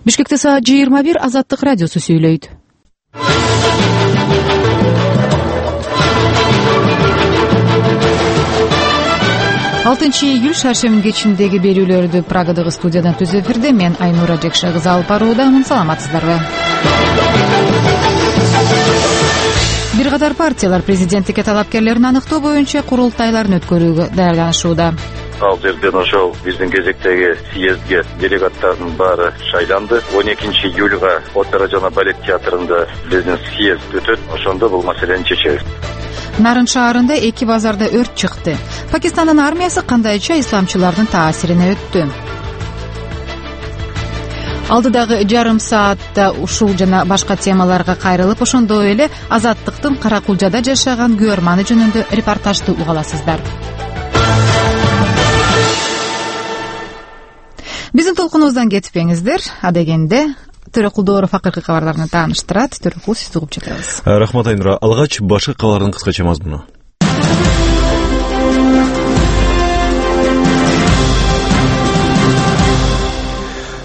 Бишкекте саат 21 Азаттык радиосу сүйлөйт. 6-июль шаршемби кечиндеги берүүлөрдү Прагадагы студиядан түз эфирде мен Айнура Жекше кызы алып баруудамын. Саламатсыздарбы? Бир катар партиялар президенттикке талапкерлерин аныктоо боюнча курултайларын өткөрүүгө даярданышууда. Ал жерден ошол биздин кезектеги съездге делегаттардын баары шайланды. 12 июлга опера жана балет театрында биздин съезд өтөт. Ошондо бул маселени чечебиз. Нарын шаарында 2 базарда өрт чыкты. Пакистандын армиясы кандайча исламчылардын таасирине өттү? Алдыдагы жарым саатта ушул жана башка темаларга кайрылып, ошондой эле Азаттыктын Каракулжада жашаган күйөрманы жөнүндө репортажды уга аласыздар. Биздин толкунубуздан кетпеңиздер. Адегенде Төрөкулдооров акыркы кабарларны тааныштырат. Төрөкул, сизди угуп жатабыз. Рахмат Айнура. Алгач башкы кабарлардын кыскача мазмуну.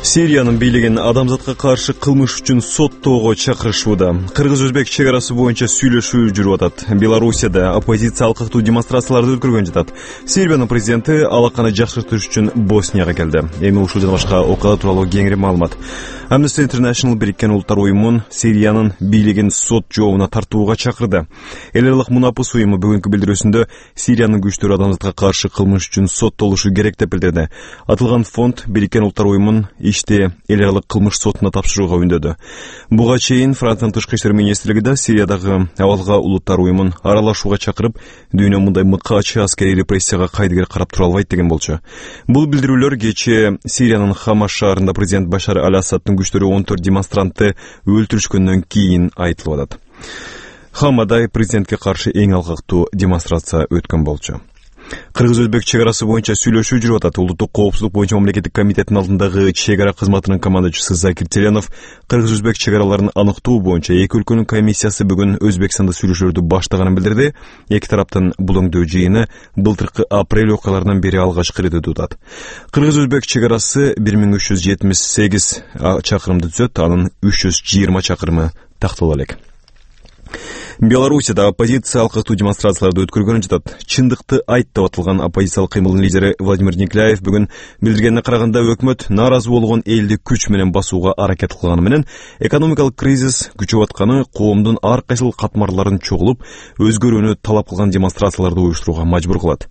Сириянын бийлигин адамзатка каршы кылмыш үчүн соттоого чакырышууда. Кыргыз-өзбек чек арасы боюнча сүйлөшүү жүрүп атат. Белоруссияда оппозиция алкактуу демонстрацияларды өткөргөн жатат. Сербиянын президенти алаканы жакшыртыш үчүн Боснияга келди. Эми ушул жана башка окуялар тууралуу кеңири маалымат. Amnesty International Бириккен Улуттар уюмун Сириянын бийлигин сот жообуна тартууга чакырды. Эл аралык мунапыс уюму бүгүнкү билдирүүсүндө Сириянын күчтөрү адамзатка каршы кылмыш үчүн соттолушу керек деп билдирди. Атылган фонд Бириккен Улуттар уюмун ишти эл аралык кылмыш сотуна тапшырууга үндөдү. Буга чейин Франциянын тышкы иштер министрлиги да Сириядагы абалга улуттар уюмун аралашууга чакырып, дүйнө мындай мыкаачы аскерий репрессияга кайдыгер карап тура албайт деген болчу. Бул билдирүүлөр кечээ Сириянын Хама шаарында президент Башар Аль-Асадтын күчтөрү 14 демонстрантты өлтүрүшкөндөн кийин айтылып атат. Хамада президентке каршы эң алкактуу демонстрация өткөн болчу. Кыргыз-өзбек чек арасы боюнча сүйлөшүү жүрүп атат. Улуттук коопсуздук боюнча мамлекеттик комитеттин алдындагы чек ара кызматынын командачысы Закир Теленов кыргыз-өзбек чек араларын аныктоо боюнча эки өлкөнүн комиссиясы бүгүн Өзбекстанда сүйлөшүүлөрдү баштаганын билдирди. Эки тараптын бул өңдөө жыйыны былтыркы апрель окуяларынан бери алгачкы ирет өтүп. Кыргыз-өзбек чек арасы 1378 чакырымды түзөт, анын 320 чакырымы такталып элек. Белоруссияда оппозиция алкактуу демонстрацияларды өткөргөн жатат. Чындыкты айт деп атылган оппозициялык кыймылдын лидери Владимир Никляев бүгүн билдиргенине караганда өкмөт нааразы болгон элди күч менен басууга аракет кылганы менен экономикалык кризис күчөп атканы коомдун ар кайсыл катмарларын чогулуп, өзгөрүүнү талап кылган демонстрацияларды уюштурууга мажбур кылат.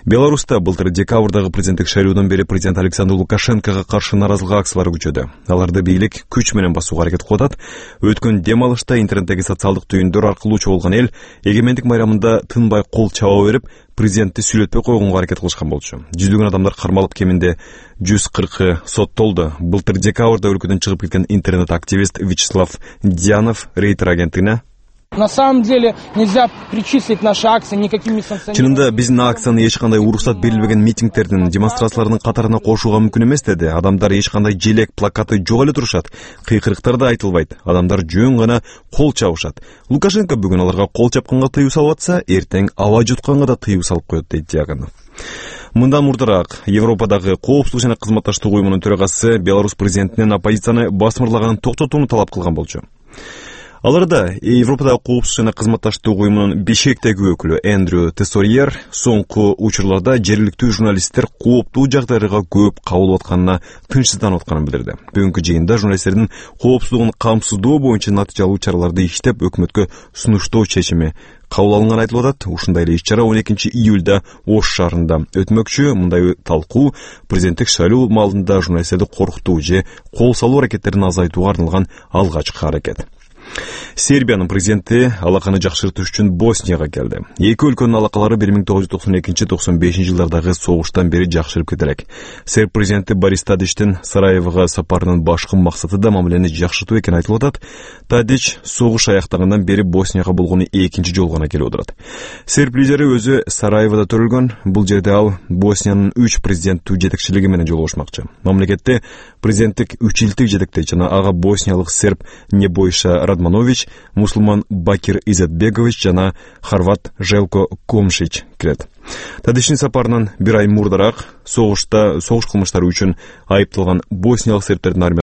Беларуста былтыр декабрдагы президенттик шайлоодон бери президент Александр Лукашенкого каршы нааразылык акциялары күчөдү. Аларды бийлик күч менен басууга аракет кылып атат. Өткөн дем алышта интернеттеги социалдык түйүндөр аркылуу чогулган эл эгемендик майрамында тынбай кол чаба берип, президентти сүйлөтпөй койгонго аракет кылышкан болчу. Жүздөгөн адамдар кармалып, кеминде 140 соттолду. Былтыр декабрда өлкөдөн чыгып кеткен интернет-активист Вячеслав Дьянов Рейтер агенттигине: На самом деле нельзя причислить наши акции никакими санкциями. Чынында биздин акцияны эч кандай уруксат берилбеген митингдердин, демонстрациялардын катарына кошууга мүмкүн эмес деди. Адамдар эч кандай желек, плакаты жок эле турушат. Кыйкырыктар да айтылбайт. Адамдар жөн гана кол чабышат. Лукашенко бүгүн аларга кол чапканга тыюу салып атса, эртең аба жутканга да тыюу салып коет, дейт Дьянов. Мындан мурдараак Европадагы коопсуздук жана кызматташтык уюмунун төрагасы Беларусь президентинен оппозицияны басмырлаганын токтотууну талап кылган болчу. Аларда Европадагы коопсуздук жана кызматташтык уюмунун Бишкектеги өкүлү Эндрю Тессорьер соңку учурларда жергиликтүү журналисттер кооптуу жагдайларга көп кабылып атканына тынчсызданып атканын билдирди. Бүгүнкү жыйында журналисттердин коопсуздугун камсыздоо боюнча натыйжалуу чараларды иштеп, өкмөткө сунуштоо чечими кабыл алынганы айтылып атат. Ушундай эле иш-чара 12 июлда Ош шаарында өтмөкчү. Мындай талкуу президенттик шайлоо маалында журналисттерди коркутуу же кол салуу аракеттерин азайтууга арналган алгачкы аракет. Сербиянын президенти алаканы жакшыртыш үчүн Боснияга келди. Эки өлкөнүн алакалары 1992-95 жылдардагы согуштан бери жакшырып кетелек. Серб президенти Борис Тадичтин Сараевого сапарынын башкы максаты да мамилени жакшыртуу экени айтылып атат. Тадич согуш аяктагандан бери Боснияга болгону экинчи жолу гана келип отурат. Серб лидери өзү Сараевода төрөлгөн. Бул жерде ал Босниянын 3 президенттүү жетекчилиги менен жолугушмакчы. Мамлекетте президенттик 3 илдик жетектейт жана ага боснияалык серб Небойша Радманович, мусулман Бакир Изетбегович жана хорват Желко Комшич кирет. Тадичтин сапарынан бир ай мурдараак согуш кылмыштары үчүн айыпталган босниялык сербтердин